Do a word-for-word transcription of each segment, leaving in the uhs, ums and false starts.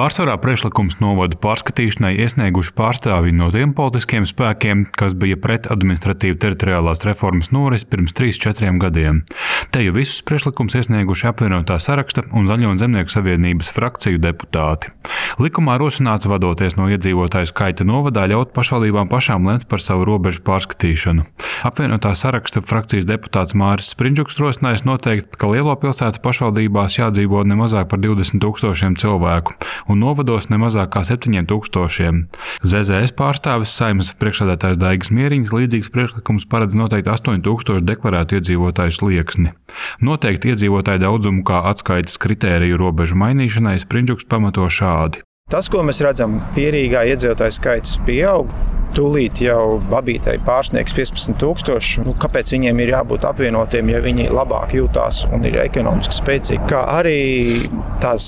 Pārsvarā priekšlikums novadu pārskatīšanai iesnieguši pārstāvji no tiem politiskiem spēkiem, kas bija pret administratīvu teritoriālās reformas norisi pirms trīs, četriem gadiem. Te jau visus priekšlikums iesnieguši apvienotā Saraksta un Zaļo un Zemnieku savienības frakciju deputāti. Likumā rosināts vadoties no iedzīvotāju skaita novadā ļaut pašvaldībām pašām lemt par savu robežu pārskatīšanu. Apvienotā Saraksta frakcijas deputāts Māris Sprindžuks rosinājis noteikt, ka lielo pilsētu pašvaldībās jādzīvo ne mazāk par divdesmit tūkstošiem cilvēku un novados ne mazāk kā septiņiem tūkstošiem. Z Z S pārstāvis Saeimas priekšsēdētājs Daigis Mieriņš līdzīgs priekšlikums paredz noteikti astoņu tūkstošu deklarētu iedzīvotāju slieksni. Noteikti iedzīvotāju daudzumu kā atskaites kritēriju robežu mainīšanai Sprindžuks pamato šādi. Tas, ko mēs redzam, pierīgā iedzīvotāju skaits pieaug. Tūlīt jau Babītei pārsniegs piecpadsmit tūkstoši. Nu, kāpēc viņiem ir jābūt apvienotiem, ja viņi labāk jūtās un ir ekonomiski spēcīgi? Kā arī tās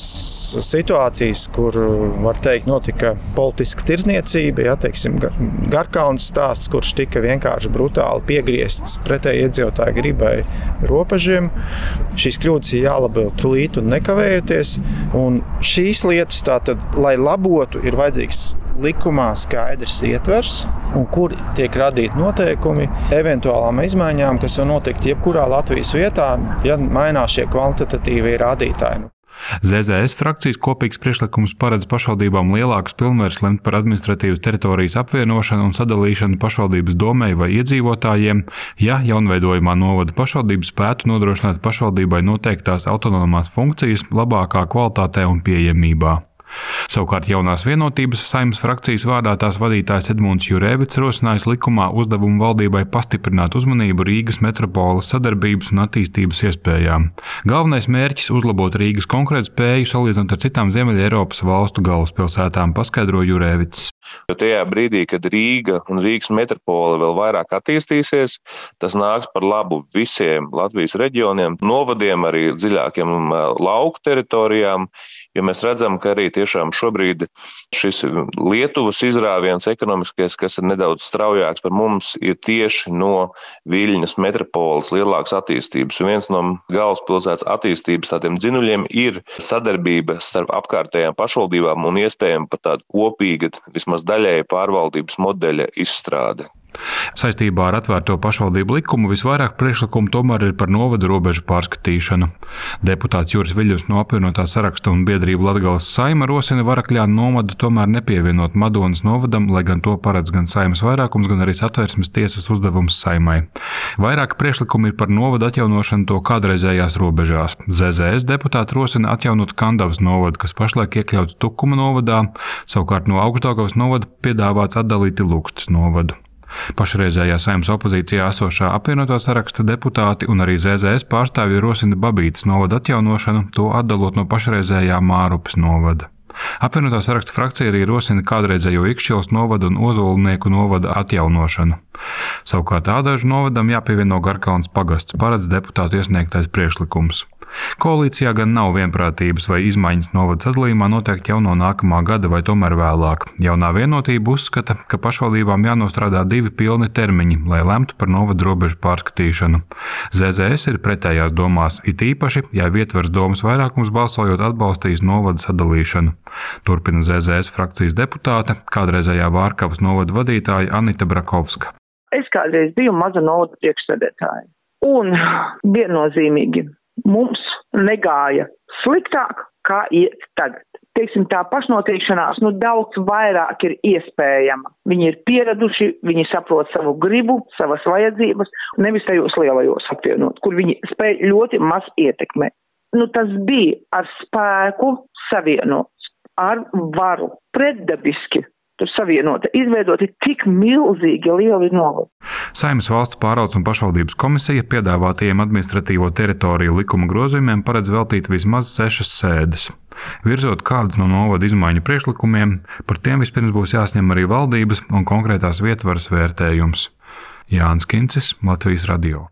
situācijas, kur, var teikt, notika politiska tirdzniecība, ja, teiksim, Garkalnas stāsts, kurš tika vienkārši brutāli piegriezts pretēji iedzīvotāju gribai robežiem. Šīs kļūdas ir jālabo tūlīt un nekavējoties. Un šīs lietas tātad, lai labotu, ir vajadzīgs likumā skaidrs ietvers, un kur tiek radīti noteikumi eventuālām izmaiņām, kas var notikt jebkurā Latvijas vietā, ja mainās šie kvantitatīvie rādītāji. Z Z S frakcijas kopīgs priekšlikums paredz pašvaldībām lielākas pilnvaras lemt par administratīvas teritorijas apvienošanu un sadalīšanu pašvaldības domei vai iedzīvotājiem, ja jaunveidojumā novada pašvaldības spētu nodrošināt pašvaldībai noteiktās autonomās funkcijas labākā kvalitātē un pieejamībā. Savukārt jaunās vienotības Saeimas frakcijas vārdā tās vadītājs Edmunds Jurēvits rosinājis likumā uzdevumu valdībai pastiprināt uzmanību Rīgas metropoles sadarbības un attīstības iespējām. Galvenais mērķis uzlabot Rīgas konkurētspēju salīdzinot ar citām Ziemeļa Eiropas valstu galvaspilsētām, paskaidro Jurēvits. Jo tajā brīdī, kad Rīga un Rīgas metropole vēl vairāk attīstīsies, tas nāks par labu visiem Latvijas reģioniem, novadiem, arī dziļākiem lauku teritorijām, jo mēs redzam, ka arī tiešām šobrīd šis Lietuvas izrāviens ekonomiskais, kas ir nedaudz straujāks par mums, ir tieši no Viļņas metropoles lielākas attīstības. Un viens no galvaspilsētas attīstības tādiem dzinuļiem ir sadarbība starp apkārtējām pašvaldībām un iespējami pat tāda kopīga, vismaz daļēja pārvaldības modeļa izstrāde. Saistībā ar atvērto pašvaldību likumu visvairāk priekšlikumu tomēr ir par novadu robežu pārskatīšanu. Deputāts Juris Viļņus no apvienotā Saraksta un biedrība Latgales Saeima rosina Varakļānu novadu tomēr nepievienot Madonas novadam, lai gan to paredz gan Saeimas vairākums, gan arī Satversmes tiesas uzdevums Saeimai. Vairāk priekšlikumi ir par novadu atjaunošanu to kādreizējās robežās. Z Z S deputāti rosina atjaunot Kandavas novadu, kas pašlaik iekļauts Tukuma novadā, savukārt no Augšdaugavas novada piedāvāts atdalīti Lukstas novadu. Pašreizējā Saeimas opozīcijā esošā apvienotā Saraksta deputāti un arī Z Z S pārstāvji rosina Babītes novada atjaunošanu, to atdalot no pašreizējā Mārupes novada. Apvienotā Saraksta frakcija arī rosina kādreizējo Ikšķilas novada un Ozolnieku novada atjaunošanu. Savukārt Ādažu novadam jāpievieno Garkalnas pagasts, paredz deputātu iesniegtais priekšlikums. Koalīcijā gan nav vienprātības vai izmaiņas novada sadalījumā noteikti jau no nākamā gada vai tomēr vēlāk. Jaunā vienotība uzskata, ka pašvaldībām jānostrādā divi pilni termiņi, lai lemtu par novadu robežu pārskatīšanu. Z Z S ir pretējās domās, it īpaši, ja Vietvars domas vairākums balsojot atbalstīs novada sadalīšanu. Turpina Z Z S frakcijas deputāte, kādreizējā Vārkavas novada vadītāja Anita Brakovska. Es kādreiz biju maza novada priekšsēdētāja un viennozīmīgi mums negāja sliktāk, kā iet tagad. Teiksim, tā pašnoteikšanās nu daudz vairāk ir iespējama. Viņi ir pieraduši, viņi saprot savu gribu, savas vajadzības, nevis tajos lielajos apvienot, kur viņi spēj ļoti maz ietekmēt. Nu, tas bija ar spēku savienots, ar varu, pretdabiski. Tur savienota, izveidoti tik milzīgi lieli novadi. Saeimas valsts pārvaldes un pašvaldības komisija piedāvātajiem administratīvo teritoriju likuma grozījumiem paredz veltīt vismaz sešas sēdes. Virzot kādus no novada izmaiņu priekšlikumiem, par tiem vispirms būs jāsņem arī valdības un konkrētās vietvaras vērtējums. Jānis Kincis, Latvijas radio.